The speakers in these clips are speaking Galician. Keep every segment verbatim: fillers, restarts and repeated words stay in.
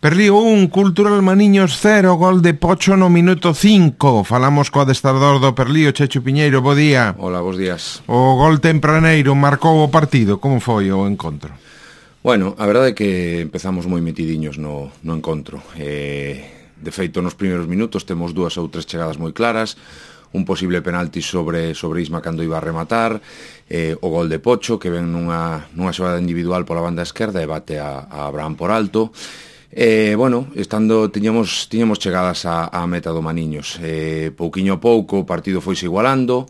Perlío un, Cultural Maniños cero, gol de Pocho no minuto cinco. Falamos co adestrador do Perlío, Chechu Piñeiro, bo día. Hola, bos días. O gol tempraneiro marcou o partido, como foi o encontro? Bueno, a verdade é que empezamos moi metidiños no, no encontro. Eh, de feito, nos primeiros minutos temos dúas ou tres chegadas moi claras, un posible penalti sobre, sobre Isma cando iba a rematar, eh, o gol de Pocho, que ven nunha, nunha xogada individual pola banda esquerda e bate a, a Abraham por alto. Eh, bueno, estando tiñamos, tiñamos chegadas a, a meta do Maniños. Eh, pouquiño a pouco o partido foise igualando,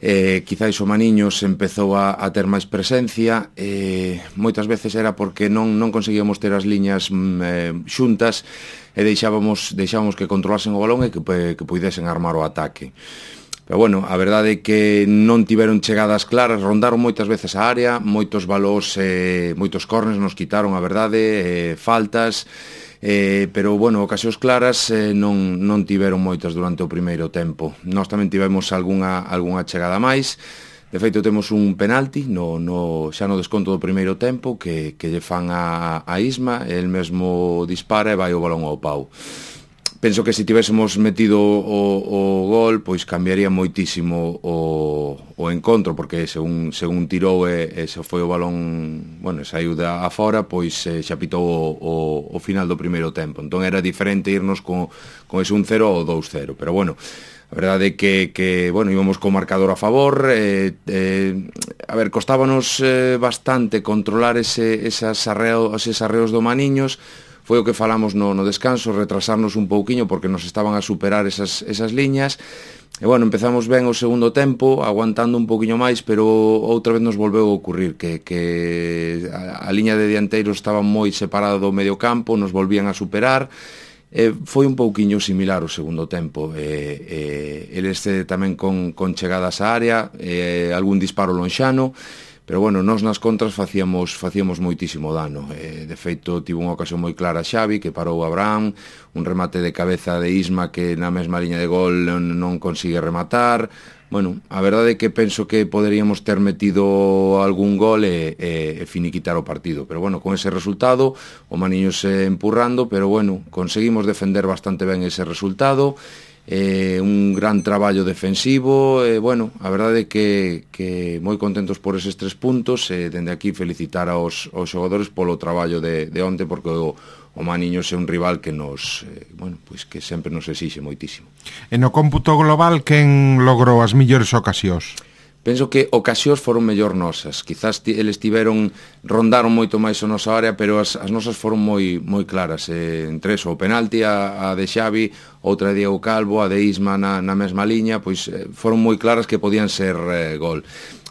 eh, quizáis o Maniños empezou a, a ter máis presencia, eh, moitas veces era porque non, non conseguíamos ter as liñas mm, eh, xuntas e deixábamos, deixábamos que controlasen o balón e que, que puidesen armar o ataque. Pero bueno, a verdade é que non tiveron chegadas claras, rondaron moitas veces a área, moitos balós, eh, moitos corners nos quitaron, a verdade, eh, faltas, eh, pero bueno, ocasións claras eh, non, non tiveron moitas durante o primeiro tempo. Nós tamén tivemos algunha, algunha chegada máis. De feito, temos un penalti no, no, xa no desconto do primeiro tempo que, que lle fan a, a Isma, el mesmo dispara e vai o balón ao pau. Penso que se tivésemos metido o, o gol, pois cambiaría moitísimo o, o encontro, porque según, según tirou e, e se foi o balón, bueno, saiu da afora, pois eh, xa pitou o, o, o final do primeiro tempo. Entón era diferente irnos con, con ese un cero ou dous cero, pero bueno, a verdade é que, que bueno, íbamos co marcador a favor, eh, eh, a ver, costábanos eh, bastante controlar ese, esas arreo, eses arreos do Maniños. Foi o que falamos no, no descanso, retrasarnos un pouquiño porque nos estaban a superar esas, esas liñas. E bueno, empezamos ben o segundo tempo, aguantando un pouquiño máis, pero outra vez nos volveu a ocurrir que, que a, a liña de dianteiros estaba moi separada do medio campo, nos volvían a superar. Eh, foi un pouquiño similar o segundo tempo, eh, eh, eles eh, tamén con, con chegadas á área, eh, algún disparo lonxano, pero bueno, nós nas contras facíamos, facíamos moitísimo dano. Eh, de feito, tivo unha ocasión moi clara Xavi, que parou a Abraham, un remate de cabeza de Isma que na mesma liña de gol non, non consigue rematar. Bueno, a verdade é que penso que poderíamos ter metido algún gol e, e, e finiquitar o partido, pero bueno, con ese resultado o Maniños eh, empurrando, pero bueno, conseguimos defender bastante ben ese resultado, eh, un gran traballo defensivo, e eh, bueno, a verdade é que, que moi contentos por eses tres puntos, e eh, dende aquí felicitar aos, aos xogadores polo traballo de, de onte, porque o o Maniños é un rival que nos, eh, bueno, pois que sempre nos exixe moitísimo. E no cómputo global, quen logrou as mellores ocasións? Penso que ocasións foron mellor nosas. Quizás eles tiveron, rondaron moito máis a nosa área, pero as, as nosas foron moi moi claras. Eh, entre eso, o penalti, a, a de Xavi, outra de Diego Calvo, a de Isma na, na mesma liña, pois eh, foron moi claras que podían ser eh, gol.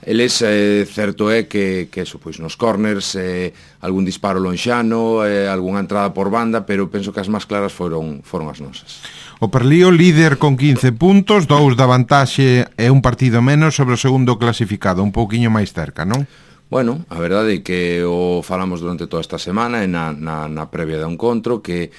Eles, eh, certo é que, que eso, pois nos corners, eh, algún disparo lonxano, eh, algunha entrada por banda, pero penso que as máis claras foron, foron as nosas. O Perlío líder con quince puntos, dous da vantaxe e un partido menos sobre o segundo clasificado, un pouquiño máis cerca, non? Bueno, a verdade é que o falamos durante toda esta semana e na, na, na previa do encontro, que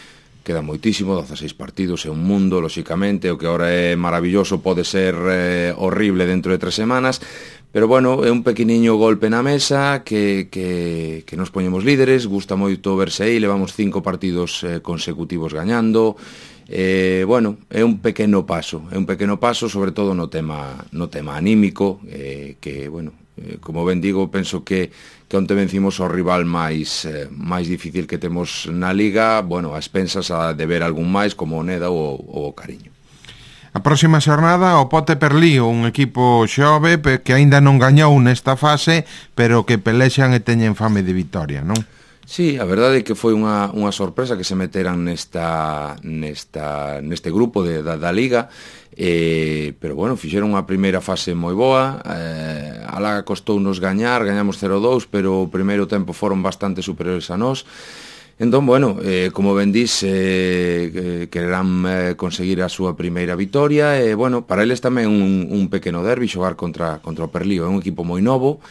queda moitísimo, dezaseis partidos, é un mundo, lóxicamente, o que agora é maravilloso pode ser eh, horrible dentro de tres semanas, pero bueno, é un pequeniño golpe na mesa que, que, que nos poñemos líderes, gusta moito verse aí, levamos cinco partidos eh, consecutivos gañando, eh, bueno, é un pequeno paso, é un pequeno paso, sobre todo no tema, no tema anímico, eh, que, bueno, eh, como ben digo, penso que, que onte vencimos ao rival máis, eh, máis difícil que temos na Liga, bueno, a expensas a de ver algún máis, como o Neda ou o Cariño. A próxima xornada o Pote Perlío, un equipo xove que aínda non gañou nesta fase, pero que pelexan e teñen fame de vitoria, non? Sí, a verdade é que foi unha, unha sorpresa que se meteran nesta, nesta, neste grupo de, da, da Liga, eh, pero bueno, fixeron unha primeira fase moi boa, eh, alá costounos gañar, gañamos cero dous, pero o primeiro tempo foron bastante superiores a nós. Entón, bueno, eh, como ben dís, eh, quererán eh, conseguir a súa primeira vitoria, e, bueno, para eles tamén un, un pequeno derbi xogar contra, contra o Perlío, é un equipo moi novo,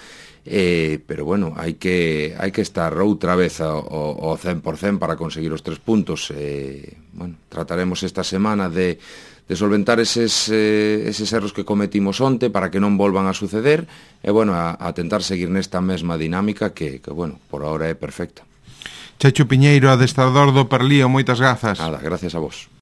eh, pero, bueno, hai que, hai que estar outra vez ao, ao cen por cen para conseguir os tres puntos. Eh, bueno, trataremos esta semana de, de solventar eses, eh, eses erros que cometimos onte para que non volvan a suceder, e, bueno, a, a tentar seguir nesta mesma dinámica que, que bueno, por ahora é perfecta. Checho Piñeiro, adestrador do Perlío, moitas grazas. Nada, gracias a vos.